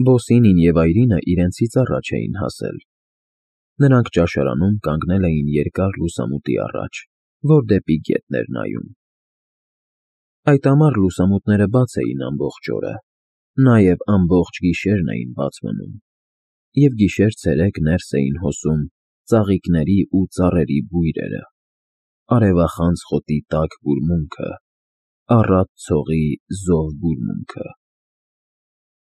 Բոսինին և Այրինը իրենցից առաջ էին հասել։ Նրանք ճաշարանում կանգնել էին երկար լուսամուտի առաջ, որ դեպի գետն էր նայում։ Այդ ամառ լուսամուտները բաց էին ամբողջ օրը, նաև ամբողջ գիշերն էին բաց մնում, և գիշեր֊ցերեկ ներս էին հոսում ծաղիկների ու ծառերի բույրերը, արևախանձ խոտի տաք բուրմունքը, առատ ցողի զով բուրմունքը։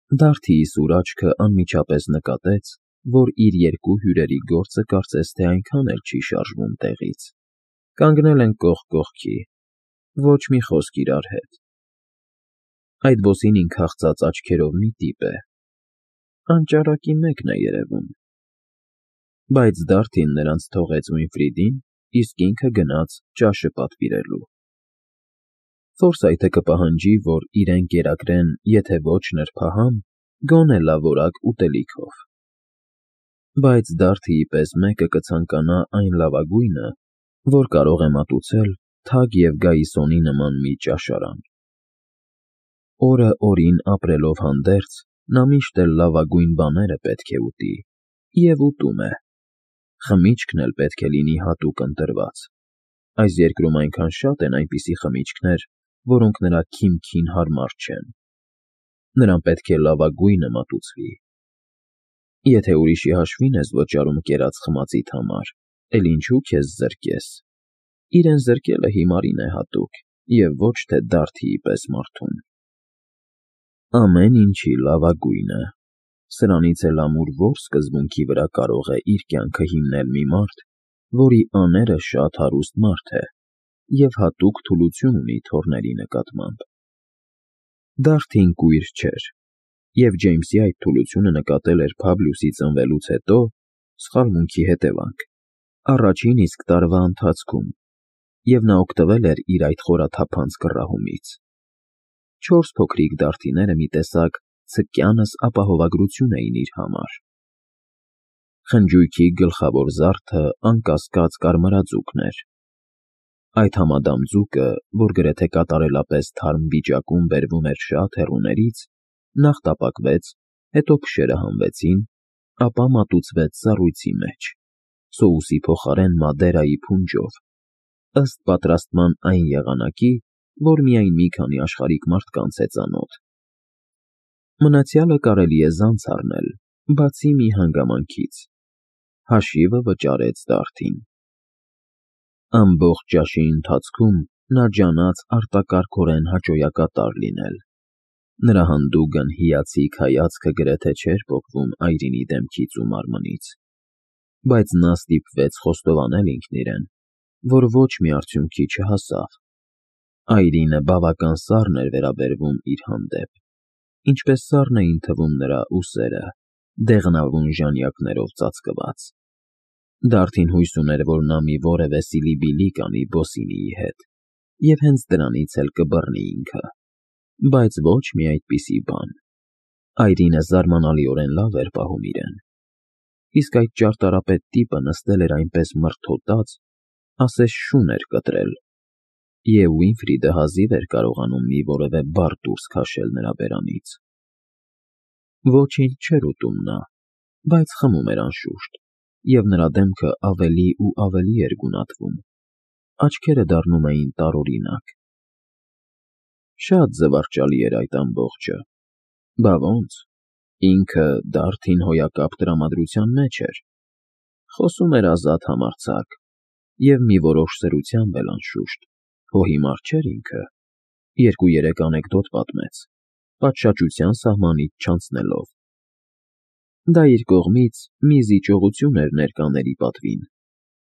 Դարդիի սուր աչքը անմիջապես նկատեց, որ իր երկու հյուրերի գործը կարծես թե այնքան էլ չի շարժվում տեղից, կանգնել են կողք կողքի, ոչ մի խոսք իրար հետ։ Այդ Բոսինին քաղցած աչքերով մի տիպ է, անճարակի մեկն է երևում։ Բայց Դարդին նրանց թողեց Վինֆրիդին, իսկ ինքը գնաց ճաշը պատվիրելու։ Ֆորսայթը կպահանջի, որ իրեն կերակրեն, եթե ոչ նրբահամ, գոնե լավորակ ուտելիքով։ Բայց Դարդիի պես մեկը կցանկանա այն լավագույնը, որ կարող է մատուցել թագ և գայիսոնի նման մի ճաշարան։ Օրը օրին ապրելով հանդերձ, նա միշտ էլ լավագույն բաները պետք է ուտի, և ուտում է։ Խմիչքն էլ պետք է լինի հատուկ ընտրված։ Այս երկրում այնքան շատ են այնպիսի խմիչքներ, որոնք նրա քիմքին հարմար չեն։ Նրան պետք է լավագույնը մատուցվի։ Եթե ուրիշի հաշվին ես վճարում կերած խմածիդ համար, էլ ինչու քեզ զրկես։ Իրեն զրկելը հիմարին է հատուկ, և ոչ թե Դարդիի պես մարդուն։ Ամեն ինչի լավագույնը։ Սրանից էլ ամուր ո՞ր սկզբունքի վրա կարող է իր կյանքը հիմնել մի մարդ, որի աները շատ հարուստ մարդ է և հատուկ թուլություն ունի թոռների նկատմամբ։ Դարդին կույր չէր, և Ջեյմսի այդ թուլությունը նկատել էր Փաբլիուսի ծնվելուց հետո (սխալմունքի հետևանք) առաջին իսկ տարվա ընթացքում, և նա օգտվել էր իր այդ խորաթափանց կռահումից։ 4 փոքրիկ դարդիները մի տեսակ ցկյանս ապահովագրություն էին իր համար։ Խնջույքի գլխավոր զարդը անկասկած կարմրաձուկն էր։ Այդ համադամ ձուկը, որ գրեթե կատարելապես թարմ վիճակում բերվում էր շատ հեռուներից, նախ տապակվեց, հետո փշերը հանվեցին, ապա մատուցվեց սառույցի մեջ, սոուսի փոխարեն Մադերայի փունջով, ըստ պատրաստման այն եղանակի, որ միայն մի քանի աշխարհիկ մարդկանց է ծանոթ։ Մնացյալը կարելի է զանց առնել, բացի մի հանգամանքից. հաշիվը վճարեց Դարդին։ Ամբողջ ճաշի ընթացքում նա ջանաց արտակարգորեն հաճոյակատար լինել։ Նրա հանդուգն հիացիկ հայացքը գրեթե չէր պոկվում Այրինի դեմքից ու մարմնից, բայց նա ստիպվեց խոստովանել ինքն իրեն, որ ոչ մի արդյունքի չհասավ։ Այրինը բավական սառն էր վերաբերվում իր հանդեպ, ինչպես սառն էին թվում նրա ուսերը, դեղնավուն ժանյակներով ծածկված։ Դարդին հույս ուներ, որ նա մի որևէ սիլիբիլի կանի Բոսինիի հետ, և հենց դրանից էլ կբռնի ինքը, բայց ոչ մի այդպիսի բան։ Այրինը զարմանալիորեն լավ էր պահում իրեն։ Իսկ այդ ճարտարապետ տիպը նստել էր այնպես մրթոտած, ասես շուն էր կտրել, և Վինֆրիդը հազիվ էր կարողանում մի որևէ բառ դուրս քաշել նրա բերանից։ Ոչինչ չէր ուտում նա, բայց խմում էր անշուշտ, և նրա դեմքը ավելի ու ավելի էր գունատվում, աչքերը դառնում էին տարօրինակ։ Շատ զվարճալի էր այդ ամբողջը։ Բա ո՞նց, ինքը Դարդին հոյակապ տրամադրության մեջ էր։ Խոսում էր ազատ համարձակ, և մի որոշ սրությամբ էլ անշուշտ, հո հիմար չէր ինքը, 2-3 անեկդոտ պատմեց, պատշաճության սահմանից չանցնելով։ Դա իր կողմից մի զիջողություն էր ներկաների պատվին,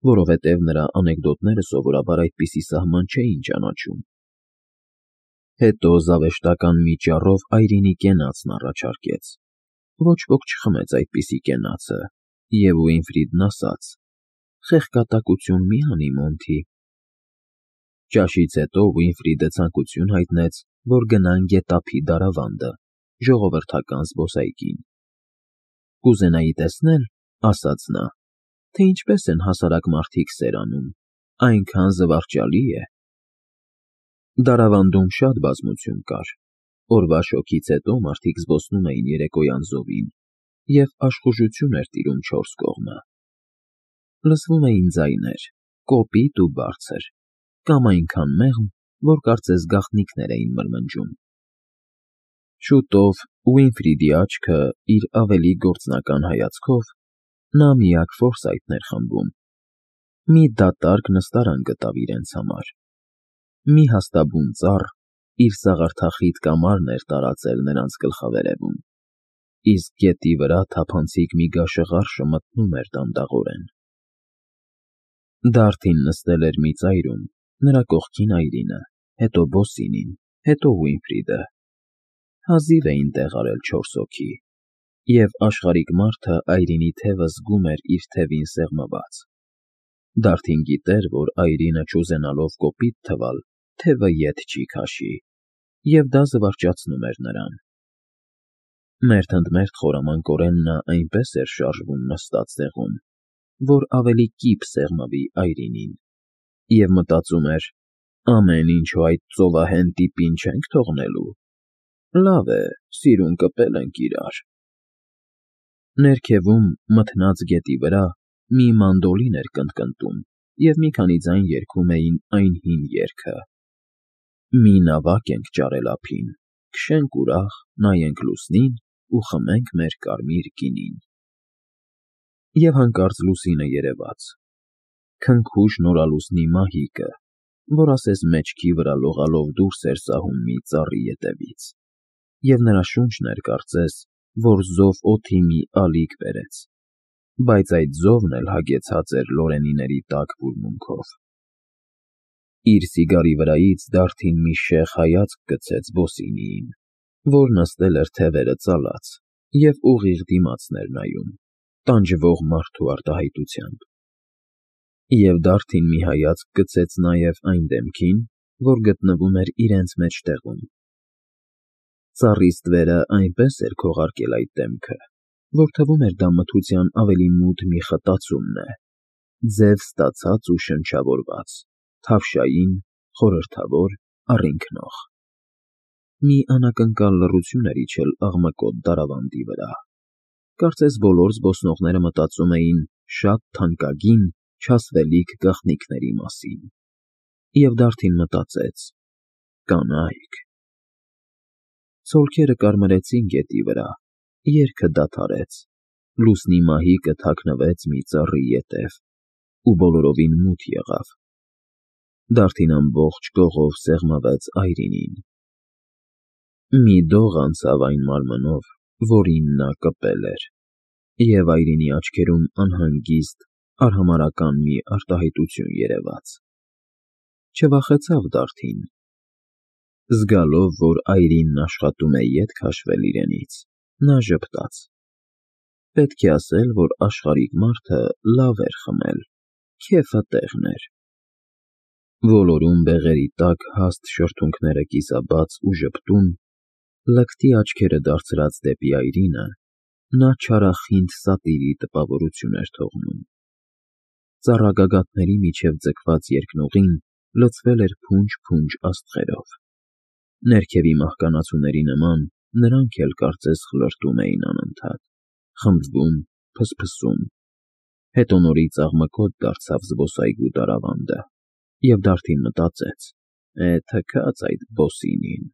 որովհետև նրա անեկդոտները սովորաբար այդպիսի սահման չէին ճանաչում։ Հետո զավեշտական մի ճառով Այրինի կենացն առաջարկեց։ Ոչ ոք չխմեց այդպիսի կենացը, և Վինֆրիդն ասաց. «Խեղկատակություն մի անի, Մոնթի»։ Ճաշից հետո Վինֆրիդը ցանկություն հայտնեց, որ գնան Գետափի Դարավանդը, ժողովրդական զբոսայգին։ «Կուզենայի տեսնել, — ասաց նա, — թե ինչպես են հասարակ մարդիկ սեր անում, այնքան զվարճալի է»։ Դարավանդում շատ բազմություն կար, Օրվա շոգից հետո մարդիկ զբոսնում էին երեկոյան զովին, և աշխուժություն էր տիրում չորս կողմը։ Լսվում էին ձայներ, կոպիտ ու բարձր, կամ այնքան մեղմ, որ կարծես գաղտնիքներ էին մրմնջում։ Շուտով Ուինֆրիդի աչքը իր ավելի գործնական հայացքով նա միակ Ֆորսայթն էր խմբում։ Մի դատարկ նստարան գտավ իրենց համար։ Մի հաստաբուն ծառ իր սաղարթախիտ կամարն էր տարածել նրանց գլխավերևում, իսկ գետի վրա թափանցիկ մի գաշղարշը մթնում էր դանդաղորեն։ Դարդին նստել էր մի ծայրում, նրա կողքին Այրինը, հետո Բոսինին, հետո Ուինֆրիդը։ Հազիվ էին տեղ արել 4 հոգի, և աշխարհիկ մարդը Այրինի թևը զգում էր իր թևին սեղմված։ Դարդին գիտեր, որ Այրինը չուզենալով կոպիտ թվալ, թևը ետ չի քաշի, և դա զվարճացնում էր նրան։ Մերթ ընդ մերթ խորամանկորեն նա այնպես էր շարժվում նստած տեղում, որ ավելի կիպ սեղմվի Այրինին, և մտածում էր. ամեն ինչու այդ ծովահեն տիպին չենք թողնելու։ Լավ է, սիրուն կպել ենք իրար։ Ներքևում, մթնած գետի վրա, մի մանդոլին էր կնտկնտում, և մի քանի ձայն երգում էին այն հին երգը. «Մի նավակ ենք ճարել ափին, քշենք ուրախ, նայենք լուսնին ու խմենք մեր կարմիր գինին»։ Եվ հանկարծ լուսինը երևաց, քնքուշ նորալուսնի մահիկը, որ ասես մեջքի վրա լողալով դուրս էր սահում մի ծառի ետևից, և նրա շունչն էր կարծես, որ զով օդի մի ալիք բերեց, բայց այդ զովն էլ հագեցած էր լորենիների տաք բուրմունքով։ Իր սիգարի վրայից Դարդին մի շեղ հայացք գցեց Բոսինիին, որ նստել էր թևերը ծալած և ուղիղ դիմացն էր նայում, տանջվող մարդու արտահայտությամբ։ Եվ Դարդին մի հայացք գցեց նաև այն դեմքին, որ գտնվում էր իրենց մեջտեղում։ Ծառի ստվերը այնպես էր քողարկել այդ դեմքը, որ թվում էր դա մթության ավելի մութ մի խտացումն է, ձև ստացած ու շնչավորված, թավշային, խորհրդավոր, առինքնող։ Մի անակնկալ լռություն էր իջել աղմկոտ դարավանդի վրա։ Կարծես բոլոր զբոսնողները մտածում էին շատ թանկագին, չասվելիք գաղտնիքների մասին։ Եվ Դարդին մտածեց. կանայք։ Ցոլքերը կարմրեցին գետի վրա, երգը դադարեց, լուսնի մահիկը թաքնվեց մի ծառի ետև, ու բոլորովին մութ եղավ։ Դարդին ամբողջ կողով սեղմվեց Այրինին։ Մի դող անցավ այն մարմնով, որին նա կպել էր, և Այրինի աչքերում անհանգիստ, արհամարհական մի արտահայտություն երևաց։ Չվախեցավ Դարդին։ Զգալով, որ Այրինն աշխատում է ետ քաշվել իրենից, նա ժպտաց. պետք է ասել, որ աշխարհիկ մարդը լավ էր խմել, քեֆը տեղն էր։ Ոլորուն բեղերի տակ հաստ շրթունքները կիսաբաց ու ժպտուն, լկտի աչքերը դարձրած դեպի Այրինը, նա չարախինդ սատիրի տպավորություն էր թողնում։ Ծառագագաթների միջև ձգված երկնուղին լցվել էր փունջ-փունջ աստղերով։ Ներքևի մահկանացուների նման նրանք էլ կարծես խլրտում էին անընդհատ, խմբվում, փսփսում։ Հետո նորից աղմկոտ դարձավ զբոսայգու դարավանդը, և Դարդին մտածեց. թքած այդ Բոսինին,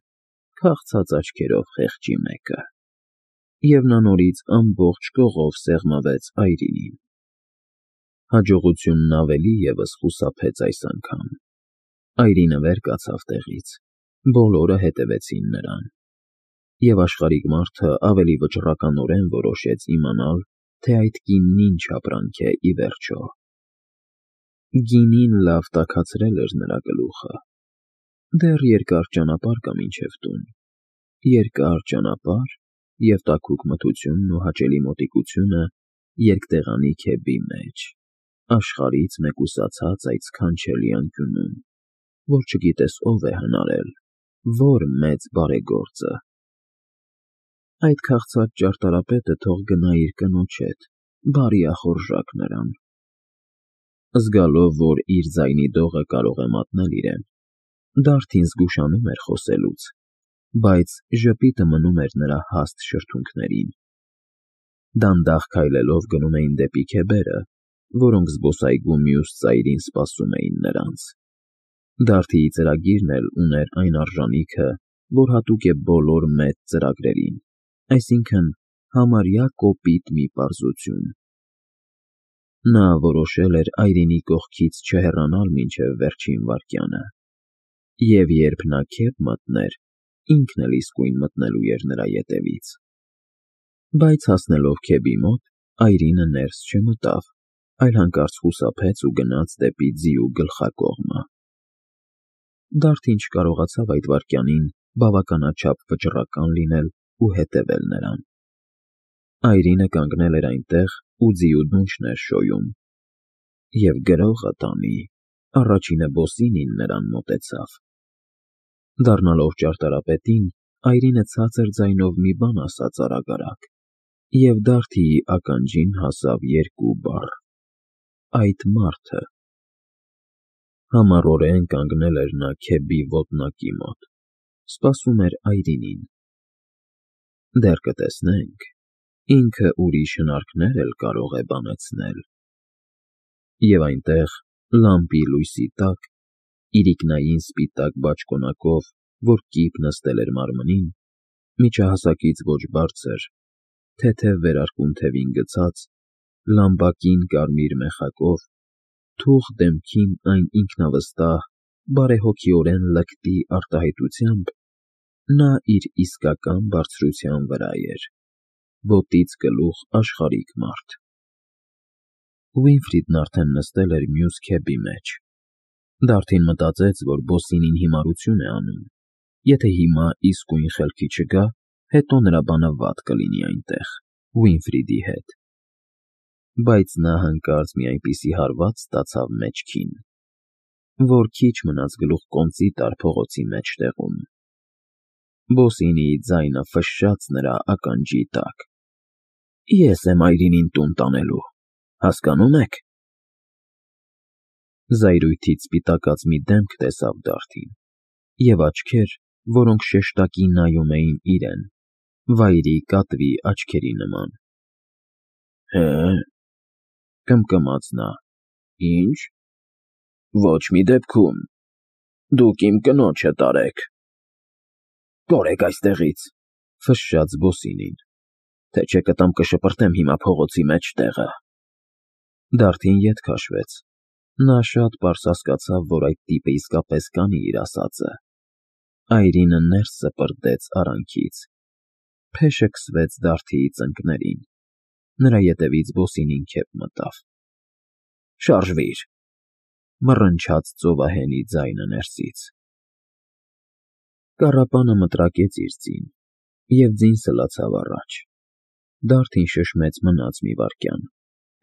քաղցած աչքերով խեղճի մեկը։ Եվ նա նորից ամբողջ կողով սեղմվեց Այրինին։ Հաջողությունն ավելի ևս խուսափեց այս անգամ։ Այրինը վեր կացավ տեղից, բոլորը հետևեցին նրան, և աշխարհիկ մարդը ավելի վճռականորեն որոշեց իմանալ, թե այդ կինն ինչ ապրանք է ի վերջո։ Գինին լավ տաքացրել էր նրա գլուխը։ Դեռ երկար ճանապարհ կա մինչև տուն, երկար ճանապարհ և տաքուկ մթությունն ու հաճելի մոտիկությունը երկտեղանի քեբի մեջ, աշխարհից մեկուսացած այդ սքանչելի անկյունում, որ չգիտես ով է հնարել, որ մեծ բարեգործը։ Այդ քաղցած ճարտարապետը թող գնա իր կնոջ հետ, բարի ախորժակ նրան։ Զգալով, որ իր ձայնի դողը կարող է մատնել իրեն, Դարդին զգուշանում էր խոսելուց, բայց ժպիտը մնում էր նրա հաստ շրթունքներին։ Դանդաղ քայլելով գնում էին դեպի քեբերը, որոնք զբոսայգու մյուս ծայրին սպասում էին նրանց։ Դարդիի ծրագիրն էլ ուներ այն արժանիքը, որ հատուկ է բոլոր մեծ ծրագրերին, այսինքն համարյա կոպիտ մի պարզություն։ Նա որոշել էր Այրինի կողքից չհեռանալ մինչև վերջին վայրկյանը, և երբ նա քեֆ մտներ, ինքն էլ իսկույն մտնելու էր նրա ետևից։ Բայց հասնելով քեբի մոտ, Այրինը ներս չմտավ, այլ հանկարծ խուսափեց ու գնաց դեպի ձիու գլխակողմը։ Դարդին չկարողացավ այդ վայրկյանին բավականաչափ վճռական լինել ու հետևել նրան։ Այրինը կանգնել էր այնտեղ ու ձիու դունչն էր շոյում։ Եվ գրողը տանի, առաջինը Բոսինին նրան մոտեցավ։ Դառնալով ճարտարապետին, Այրինը ցածր ձայնով մի բան ասաց արագ-արագ, և Դարդիի ականջին հասավ երկու բառ. «Այդ մարդը»։ Համառորեն կանգնել էր նա քեբի ոտնակի մոտ, սպասում էր Այրինին։ Դեռ կտեսնենք, ինքը ուրիշ հնարքներ էլ կարող է բանեցնել։ Եվ այնտեղ, լամպի լույսի տակ, իրիկնային սպիտակ բաճկոնակով, որ կիպ նստել էր մարմնին, միջահասակից ոչ բարձր, թեթև վերարկուն թևին գցած, լամբակին կարմիր մեխակով, թուխ դեմքին այն ինքնավստահ, բարեհոգիորեն լկտի արտահայտությամբ, նա իր իսկական բարձրության վրա էր, ոտից գլուխ աշխարհիկ մարդ։ Ուինֆրիդն արդեն նստել էր մյուս քեբի մեջ։ Դարդին մտածեց, որ Բոսինին հիմարություն է անում, եթե հիմա իսկույն խելքի չգա, հետո նրա բանը վատ կլինի այնտեղ, Ուինֆրիդի հետ։ Բայց նա հանկարծ մի այնպիսի հարված ստացավ մեջքին, որ քիչ մնաց գլուխկոնծի տար փողոցի մեջտեղում։ Բոսինիի ձայնը ֆշշաց նրա ականջի տակ. «Ես եմ Այրինին տուն տանելու, հասկանո՞ւմ եք»։ Զայրույթից սպիտակած մի դեմք տեսավ Դարդին, և աչքեր, որոնք շեշտակի նայում էին իրեն, վայրի կատվի աչքերի նման։ «Հը՞,» կմկմաց նա, «ի՞նչ, ոչ մի դեպքում, դուք իմ կնոջը տարեք»։ «Կորեք այստեղից», ֆշշաց Բոսինին, «թե չէ կտամ կշպրտեմ հիմա փողոցի մեջտեղը»։ Դարդին ետ քաշվեց։ Նա շատ պարզ հասկացավ, որ այդ տիպը իսկապես կանի իր ասածը։ Այրինը ներս սպրտեց արանքից։ Փեշը քսվեց Դարդիի ծնկներին։ Նրա ետևից Բոսինին քեֆ մտավ։ «Շարժվիր», մռնչաց ծովահենի ձայնը ներսից։ Կառապանը մտրակեց իր ձին, և ձին սլացավ առաջ։ Դարդին շշմեց մնաց մի վայրկյան,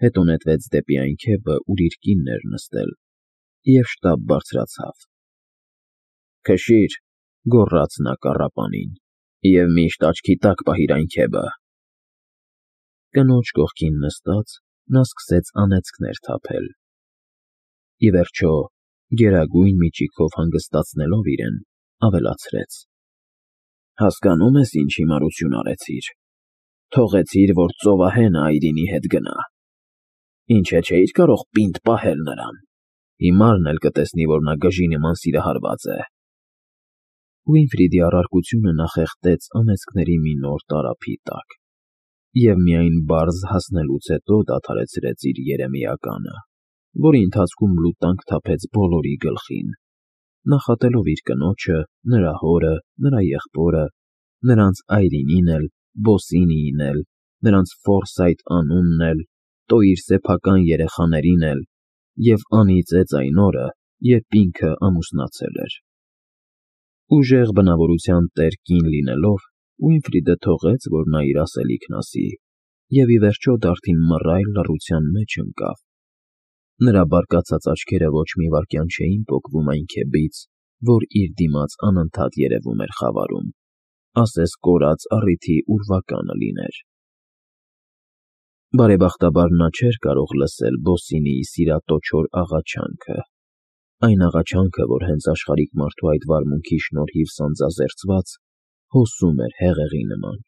հետո նետվեց դեպի այն քեֆը, ուր իր կինն էր նստել, և շտապ բարձրացավ։ «Քշի՛ր», գոռաց նա կառապանին, «և միշտ աչքի տակ պահիր այն քեֆը»։ Կնոջ կողքին նստած՝ նա սկսեց անեծքներ թափել։ Ի վերջո, գերագույն միջիքով հանգստացնելով իրեն, ավելացրեց. «Հասկանո՞ւմ ես ինչ հիմարություն արեցիր։ Թողեցիր, որ ծովահենը Այրինի հետ գնա։ Ինչ է, չէիր կարող պինդ պահել նրան։ Հիմարն էլ կտեսնի, որ նա գժի նման սիրահարված է»։ Ուինֆրիդի առարկությունը նախեղտեց անեծքների մի նոր տարափի տակ, և միայն պարզ հասնելուց հետո դադարեցրեց իր երեմիականը, որի ընթացքում լուտանք թափեց բոլորի գլխին, նախատելով իր կնոջը, նրա հորը, նրա եղբորը, նրանց Այրինին էլ, Բոսինիին էլ, նրանց Ֆորսայթ անունն էլ, տոիր սեփական երեխաներին էլ և անիծեց այն օրը, երբ ինքը ամուսնացել էր։ Ուժեղ բնավորության տեր կին լինելով, Ուինֆրիդը թողեց, որ նա իր ասելիքն ասի, և ի վերջո Դարդին մռայլ լռության մեջ ընկավ։ Նրա բարկացած աչքերը ոչ մի վայրկյան չէին պոկվում այն քեբից, որ իր դիմաց անընդհատ երևում էր խավարում, ասես կորած առիթի ուրվականը լիներ։ Բարեբախտաբար նա չէր կարող լսել Բոսինիի սիրատոչոր աղաչանքը, այն աղաչանքը, որ հենց աշխարհիկ մարդու այդ վարմունքի շնորհիվ սանձազերծված, հոսում էր հեղեղի նման։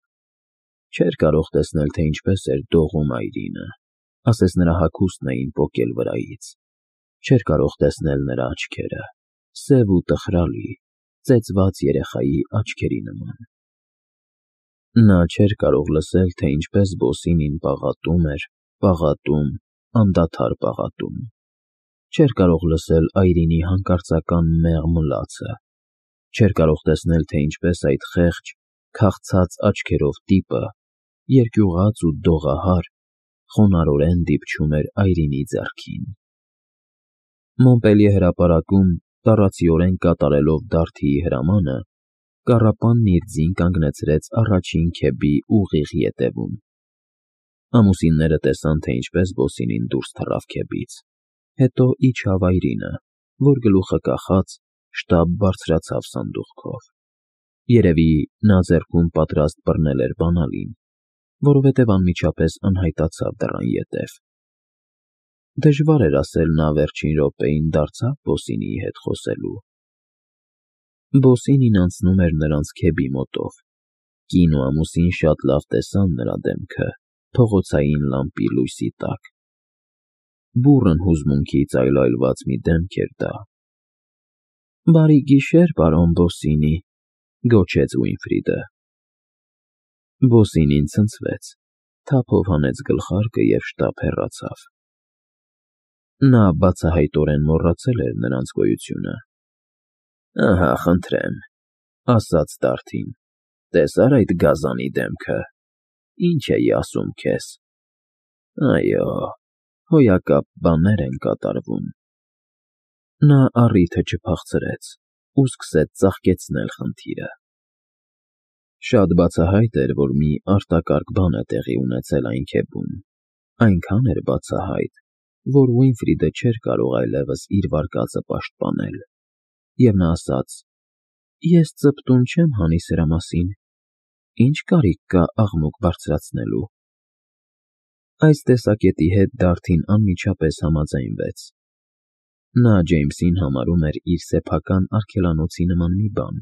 Չէր կարող տեսնել, թե ինչպես էր դողում Այրինը, ասես նրա հագուստն էին պոկել վրայից։ Չէր կարող տեսնել նրա աչքերը, սև ու տխրալի, ծեծված երեխայի աչքերի նման։ Նա չէր կարող լսել, թե ինչպես Բոսինին պաղատում էր, պաղատում, անդադար պաղատում։ Չէր կարող լսել Այրինի հանկարծական մեղմ լացը։ Չէր կարող տեսնել, թե ինչպես այդ խեղճ, քաղցած աչքերով տիպը, երկյուղած ու դողահար, խոնարհորեն դիպչում էր Այրինի ձեռքին։ Մոնպելիե հրապարակում, տառացիորեն կատարելով Դարդիի հրամանը, կառապանն իր ձին կանգնեցրեց առաջին քեբի ուղիղ ետևում։ Ամուսինները տեսան, թե ինչպես Բոսինին դուրս թռավ քեբից, հետո իջավ Այրինը, որ գլուխը կախած շտապ բարձրացավ սանդուղքով։ Երևի նա ձեռքում պատրաստ բռնել էր բանալին, որովհետև անմիջապես անհայտացավ դռան ետև։ Դժվար էր ասել նա վերջին րոպեին դարձավ Բոսինիի հետ խոսելու։ Բոսինին անցնում էր նրանց քեբի մոտով։ Կին ու ամուսին շատ լավ տեսան նրա դեմքը փողոցային լամպի լույսի տակ։ Բուռն հուզմունքից այլայլված մի դեմք էր դա։ «Բարի գիշեր, պարոն Բոսինի», գոչեց Ուինֆրիդը։ Բոսինին ցնցվեց, թափով հանեց գլխարկը և շտապ հեռացավ։ Նա բացահայտորեն մոռացել էր նրանց գոյությունը։ «Ահա, խնդրեմ», ասաց Դարդին, «տեսա՞ր այդ գազանի դեմքը։ Ինչ էի ասում քեզ։ Այո, հոյակապ բաներ են կատարվում»։ Նա առիթը չփախցրեց ու սկսեց ծաղկեցնել խնդիրը։ Շատ բացահայտ էր, որ մի արտակարգ բան է տեղի ունեցել այն քեբում, այնքան էր բացահայտ, որ Ուինֆրիդը չէր կարող այլևս իր վարկածը պաշտպանել, և նա ասաց. «Ես ծպտուն չեմ հանի սրա մասին, ինչ կարիք կա աղմուկ բարձրացնելու»։ Այս տեսակետի հետ Դարդին անմիջապես համաձայնվեց։ Նա Ջեյմսին համարում էր իր սեփական արգելանոցի նման մի բան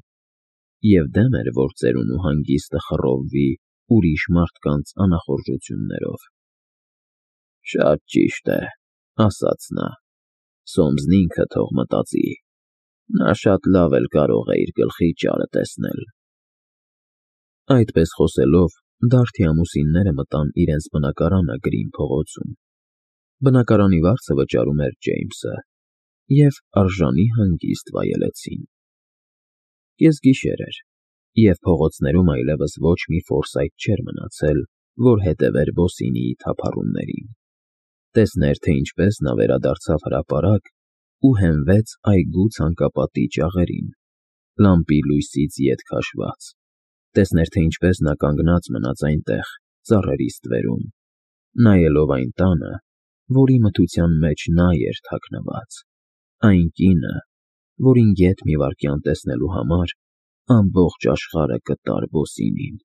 և դեմ էր, որ ծերուն ու հանգիստը խռովվի ուրիշ մարդկանց անախորժություններով։ «Շատ ճիշտ է», ասաց նա, «Սոմսն ինքը թող մտածի, նա շատ լավ էլ կարող է իր գլխի ճարը տեսնել»։ Այդպես խոսելով, Դարդի ամուսինները մտան իրենց բնակարանը Գրին փողոցում։ Բնակարանի վարձը վճարում էր Ջեյմսը, և արժանի հանգիստ վայելեցին։ Կեսգիշեր էր, և փողոցներում այլևս ոչ մի ֆորսայթ չէր մնացել, որ հետևեր Բոսինիի թափառումներին, տեսներ, թե ինչպես նա վերադարձավ հրապարակ ու հենվեց այգու ցանկապատի ճաղերին, լամպի լույսից ետ քաշված, տեսներ, թե ինչպես նա կանգնած մնաց այնտեղ, ծառերի ստվերում, նայելով այն տանը, որի մթության մեջ նա էր թաքնված, այն կինը, որին գեթ մի վայրկյան տեսնելու համար ամբողջ աշխարհը կտար Բոսինին,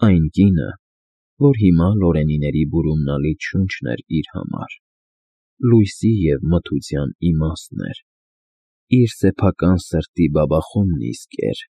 այն կինը, որ հիմա Լորենիների բուրումնալից շունչն էր իր համար, լույսի և մթության իմաստն էր, իր սեփական սրտի բաբախումն իսկ էր,